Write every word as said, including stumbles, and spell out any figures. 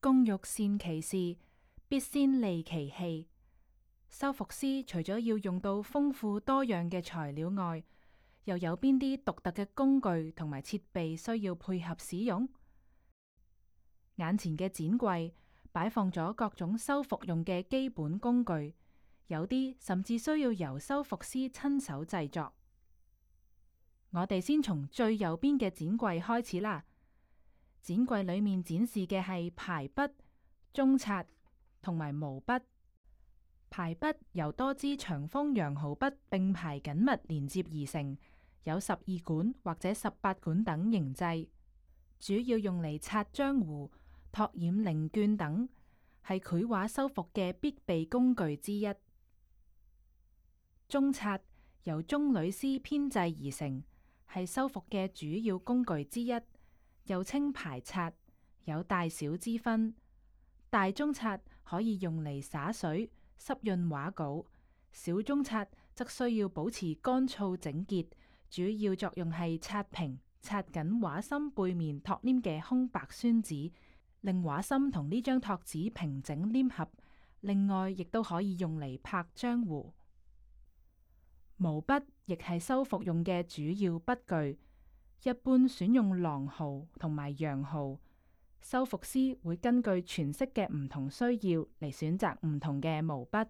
工欲善其事，必先利其器。修復師除咗要用到豐富多樣嘅材料外，又有邊啲獨特嘅工具同埋設備需要配合使用？眼前嘅展櫃擺放咗各種修復用嘅基本工具，有啲甚至需要由修復師親手製作。我哋先從最右邊嘅展櫃開始啦。展櫃裏面展示嘅係排筆、中擦同埋毛筆。排筆由多支長鋒羊毫筆並排緊密連接而成，有十二管或者十八管等形制，主要用嚟擦漿糊、拓染零卷等，係繪畫修復嘅必備工具之一。中擦由中女絲編製而成，係修復嘅主要工具之一，又稱排擦，有大小之分。大中擦可以用嚟灑水、濕潤畫稿，小中擦則需要保持乾燥整潔，主要作用係擦平、擦緊畫心背面托黏嘅空白宣紙，令畫心同呢張托紙平整黏合。另外，亦都可以用嚟拍漿糊。毛筆亦係修復用嘅主要筆具，一般選用狼毫同埋羊毫。修復師會根據詮釋嘅唔同需要嚟選擇唔同嘅毛筆。